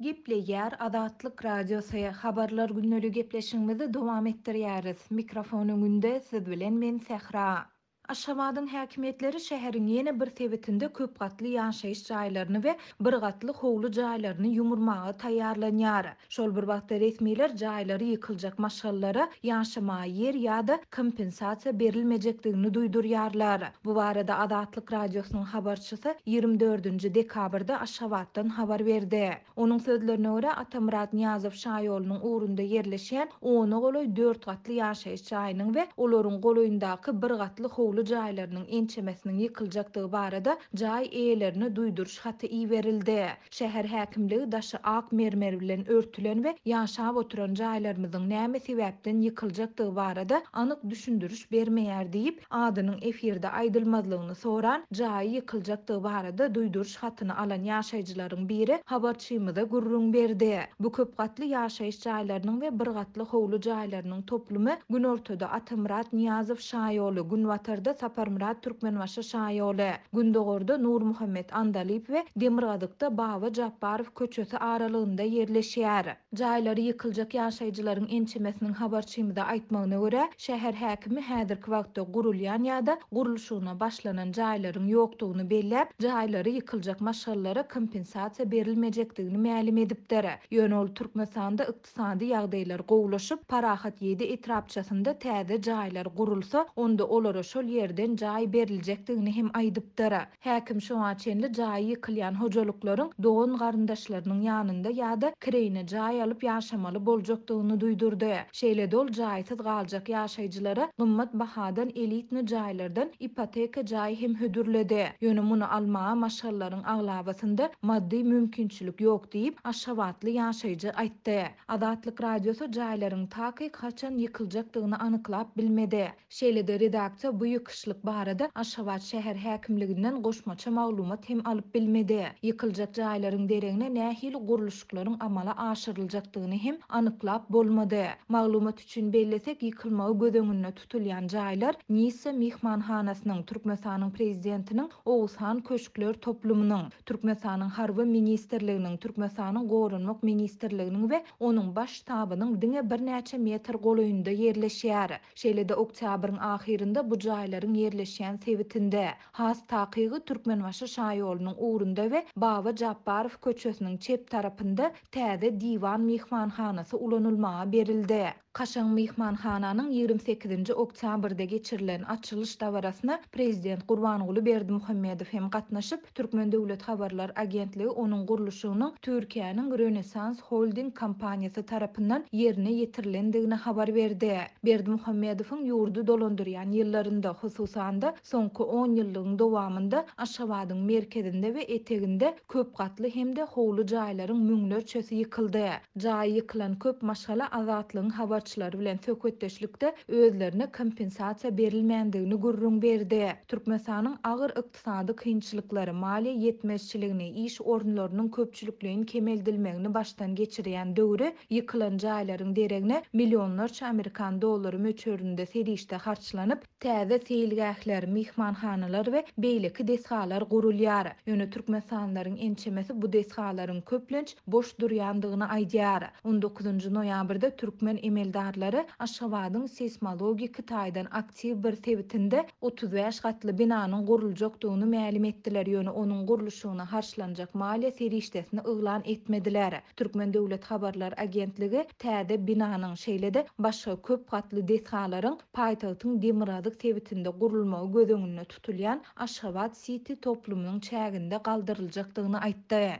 Gepleýär Azatlyk Radiosy, Habarlar gündeligi gepleşigimizi dowam etdirýäris. Mikrofon öňünde siz bilen men Sähra. Aşgabadyň häkimiýetleri şäheriň ýene bir sebitinde köp gatly ýaşaýyş jaýlaryny we bir gatly howly jaýlaryny ýumurmaga taýýarlanýar. Şol bir wagtda resmiler jaýlary ýykyljak maşgalalara ýaşamaga ýer ýa-da kompensasiýa berilmejekdigini duýdurýarlar. Bu barada Azatlyk Radiosynyň habarçysy 24-nji dekabrda Aşgabatdan habar berdi. Onuň sözlerine görä, Atamyrat Nyýazow şaýolunyň ugrunda ýerleşýän ona golaý dört gatly ýaşaýyş jaýynyň we olaryň golaýyndaky bir gatly howly jaýlarynyň ençemesiniň ýykyljakdygy barada jaý eýelerine duýduryş haty iberildi. Şäher häkimligi daşy ak mermer bilen örtülen we ýaşap oturan jaýlarymyzyň näme sebäpden ýykyljakdygy barada anyk düşündiriş bermeýär diýip, adynyň efirde aýdylmazlygyny soran, jaýy ýykyljakdygy barada duýduryş hatyny alan ýaşaýjylaryň biri habarçymyza gürrüň berdi. Bu köp gatly ýaşaýyş jaýlarynyň we bir gatly howly jaýlarynyň toplumy günortada Atamyrat Nyýazow şaýoly, günbatarda Saparmyrat Türkmenbaşy şaýoly, gündogarda Nurmuhammet Andalyp we demirgazykda Baba Japbarow köçesi aralygynda ýerleşýär. Jaýlary ýykyljak ýaşaýjylaryň ençemesiniň habarçymyza aýtmagyna görä, şäher häkimi häzirki wagtda gurulýan ýa-da gurluşygyna başlanan jaýlaryň ýokdugyny belläp, jaýlary ýykyljak maşgalalara kompensasiýa berilmejekdigini mälim edipdir. Ýöne ol Türkmenistanda ykdysady ýagdaýlar gowulaşyp, Parahat ýedi etrapçasynda täze jaýlar gurulsa, onda olara şol ýerden jaý beriljekdigini hem aýdypdyr. Häkim şoňa çenli jaýy ýykylýan hojalyklaryň dogan-garyndaşlarynyň ýanynda ýa-da kireýine jaý alyp ýaşamaly boljakdygyny duýdurdy. Şeýle-de ol jaýsyz galjak ýaşaýjylara gymmat bahadan elitny jaýlardan ipoteka jaý hem hödürledi. Ýöne muny almaga maşgalalaryň aglabasynda maddy mümkinçilik ýok diýip, aşgabatly ýaşaýjy aýtdy. Azatlyk Radiosy jaýlaryň takyk haçan ýykyljakdygyny anyklap bilmedi. Şeýle-de redaksiýa bu ýykyşlyk barada Aşgabat şäher häkimliginden goşmaça maglumat hem alyp bilmedi. Ýykyljak jaýlaryň deregine nähili gurluşyklaryň amala aşyryljakdygyny hem anyklap bolmady. Maglumat üçin bellesek, ýykylmagy göz öňünde tutulýan jaýlar Nissa myhmanhanasynyň, Türkmenistanyň Prezidentiniň Oguzhan köşkler toplumynyň, Türkmenistanyň Harby ministrliginiň, Türkmenistanyň Goranmak ministrliginiň we onuň Baş ştabynyň diňe birnäçe metr golaýynda ýerleşýär. Şeýle-de oktýabryň ahyrynda bu jaýlaryň ýerleşýän sebitinde, has takygy Türkmenbaşy şaýolunyň ugrunda we Baba Japbarow köçesiniň çep tarapynda täze Diwan myhmanhanasy ulanylmaga berildi. Kaşaň myhmanhananyň 28-nji oktýabrda geçirilen açylyş dabarasyna Prezident Gurbanguly Berdimuhamedow hem gatnaşyp, Türkmen döwlet habarlar agentligi onuň gurluşygynyň Türkiýäniň Rönesans Holding kompaniýasy tarapyndan ýerine ýetirilendigini habar berdi. Berdimuhamedowyň ýurdy dolandyrýan ýyllarynda, hususan-da, soňky onýyllygyň dowamynda Aşgabadyň merkezinde we eteginde köp gatly hem-de howly jaýlaryň müňlerçesi ýykyldy. Jaýy ýykylan köp maşgala Azatlygyň habarçylary bilen söhbetdeşlikde özlerine kompensasiýa berilmändigini gürrüň berdi. Türkmenistanyň agyr ykdysady kynçylyklary, maliýe ýetmezçiligini, iş orunlarynyň köpçülikleýin kemeldilmegini başdan geçirýän döwri ýykylan jaýlaryň deregine millionlarça amerikan dollary möçberinde serişde harçlanyp, täze seýilgähler, myhmanhanalar we beýleki desgalar gurulýar. Ýöne türkmenistanlylaryň ençemesi bu desgalaryň köplenç boş durýandygyny aýdýar. On dokuzynjy noýabrda türkmen emeldarlary Aşgabadyň seýsmologik taýdan aktiw bir sebitinde 35 gatly binanyň guruljakdygyny mälim etdiler, ýöne onuň gurluşygyna harçlanjak maliýe serişdesini yglan etmediler. Türkmen döwlet habarlar agentligi täze binanyň, şeýle-de başga köp gatly desgalaryň paýtagtyň demirgazyk sebitinde gurulmagy göz öňünde tutulýan Aşgabat-siti toplumynyň çäginde galdyryljakdygyny aýtdy.